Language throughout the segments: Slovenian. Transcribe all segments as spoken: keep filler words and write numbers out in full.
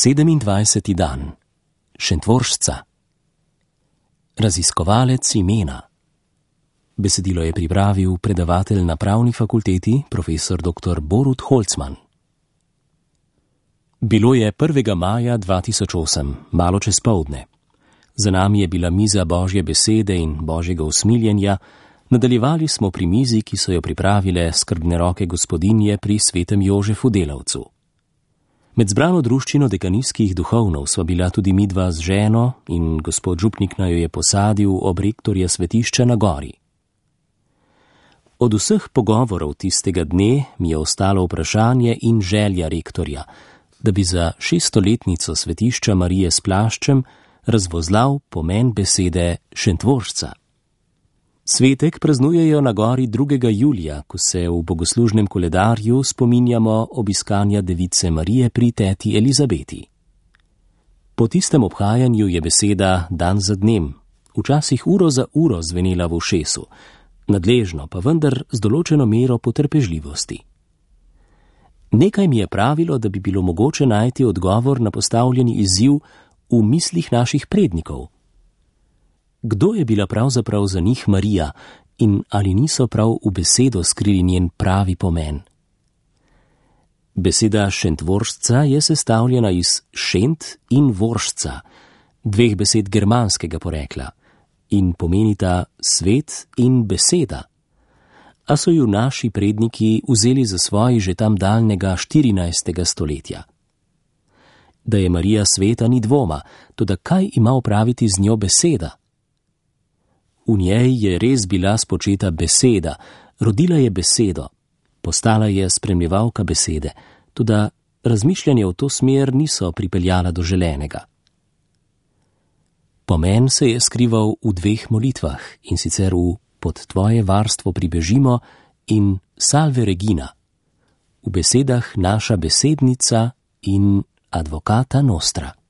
Sedemindvajseti dan. Šentvoržca. Raziskovalec imena. Besedilo je pripravil predavatelj na Pravni fakulteti, profesor doktor Borut Holcman. Bilo je prvega maja dva tisoč osem, malo čez poldne. Za nami je bila miza Božje besede in Božjega usmiljenja, nadaljevali smo pri mizi, ki so jo pripravile skrbne roke gospodinje pri svetem Jožefu Delavcu. Med zbrano druščino dekanijskih duhovnov sva bila tudi midva z ženo in gospod župnik naju je posadil ob rektorja svetišča na gori. Od vseh pogovorov tistega dne mi je ostalo vprašanje in želja rektorja, da bi za šeststoletnico svetišča Marije s plaščem razvozlal pomen besede Šentvoržca. Svetek praznujejo na gori drugega julija, ko se v bogoslužnem koledarju spominjamo obiskanja device Marije pri teti Elizabeti. Po tistem obhajanju je beseda dan za dnem, včasih uro za uro zvenela v ušesu, nadležno pa vendar z določeno mero potrpežljivosti. Nekaj mi je pravilo, da bi bilo mogoče najti odgovor na postavljeni izziv v mislih naših prednikov. Kdo je bila pravzaprav za njih Marija in ali niso prav v besedo skrili njen pravi pomen? Beseda Šentvoržca je sestavljena iz šent in voržca, dveh besed germanskega porekla, in pomenita svet in beseda. A so ju naši predniki vzeli za svoj že tam daljnega štirinajstega stoletja. Da je Marija sveta ni dvoma, toda kaj ima opraviti z njo beseda? V njej je res bila spočeta beseda, rodila je besedo, postala je spremljevalka besede, toda razmišljanje v to smer niso pripeljala do želenega. Pomen se je skrival v dveh molitvah, in sicer v Pod tvoje varstvo pribežimo in Salve Regina, v besedah Naša besednica in Advocata Nostra.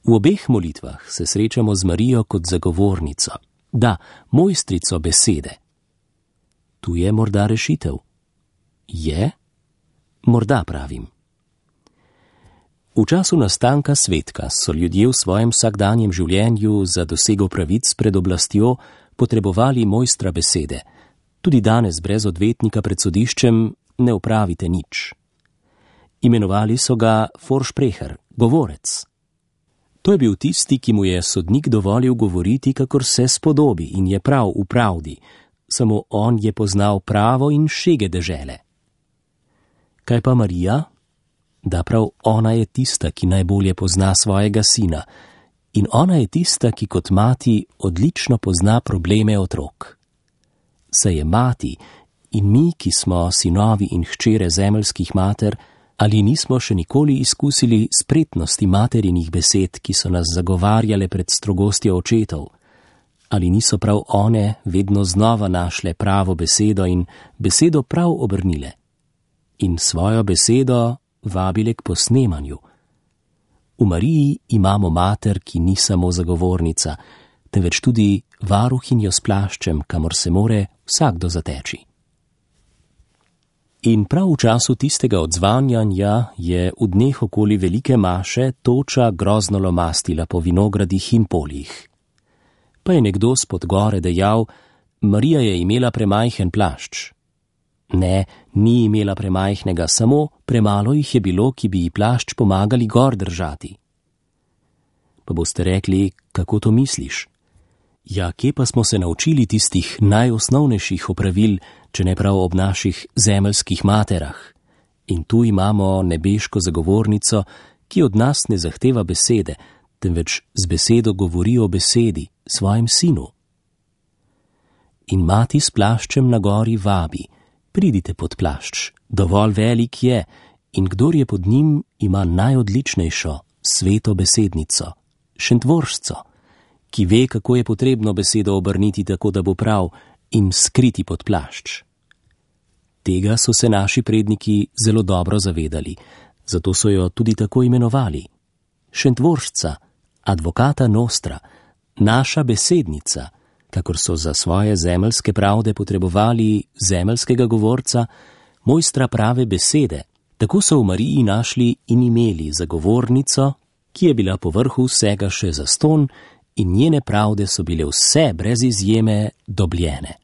V obeh molitvah se srečamo z Marijo kot zagovornico, da, mojstrico besede. Tu je morda rešitev. Je? Morda pravim. V času nastanka svetka so ljudje v svojem vsakdanjem življenju za dosego pravic pred oblastjo potrebovali mojstra besede. Tudi danes brez odvetnika pred sodiščem ne opravite nič. Imenovali so ga Vorsprecher, govorec. To je bil tisti, ki mu je sodnik dovolil govoriti, kakor se spodobi in je prav v pravdi, samo on je poznal pravo in šege dežele. Kaj pa Marija? Da prav ona je tista, ki najbolje pozna svojega sina, in ona je tista, ki kot mati odlično pozna probleme otrok. Saj je mati in mi, ki smo sinovi in hčere zemeljskih mater, ali nismo še nikoli izkusili spretnosti materinih besed, ki so nas zagovarjale pred strogostjo očetov, ali niso prav one vedno znova našle pravo besedo in besedo prav obrnile in svojo besedo vabile k posnemanju. V Mariji imamo mater, ki ni samo zagovornica, temveč tudi varuhinjo s plaščem, kamor se more vsakdo zateči. In prav v času tistega odzvanjanja je v dneh okoli velike maše toča grozno lomastila po vinogradih in poljih. Pa je nekdo spod gore dejal, Marija je imela premajhen plašč. Ne, ni imela premajhnega, samo premalo jih je bilo, ki bi ji plašč pomagali gor držati. Pa boste rekli, kako to misliš? Ja, kje pa smo se naučili tistih najosnovnejših opravil, če ne prav ob naših zemeljskih materah? In tu imamo nebeško zagovornico, ki od nas ne zahteva besede, temveč z besedo govori o besedi, svojem sinu. In mati s plaščem na gori vabi, pridite pod plašč, dovolj velik je, in kdor je pod njim, ima najodličnejšo, sveto besednico, Šentvoržco, ki ve, kako je potrebno besedo obrniti tako, da bo prav, in skriti pod plašč. Tega so se naši predniki zelo dobro zavedali, zato so jo tudi tako imenovali. Šentvoržca, Advocata Nostra, naša besednica, kakor so za svoje zemeljske pravde potrebovali zemeljskega govorca, mojstra prave besede, Tako so v Mariji našli in imeli zagovornico, ki je bila po vrhu vsega še zastonj, in njene pravde so bile vse brez izjeme dobljene.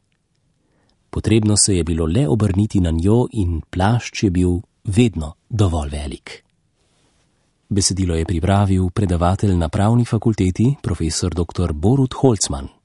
Potrebno se je bilo le obrniti na njo in plašč je bil vedno dovolj velik. Besedilo je pripravil predavatelj na Pravni fakulteti, profesor doktor Borut Holcman.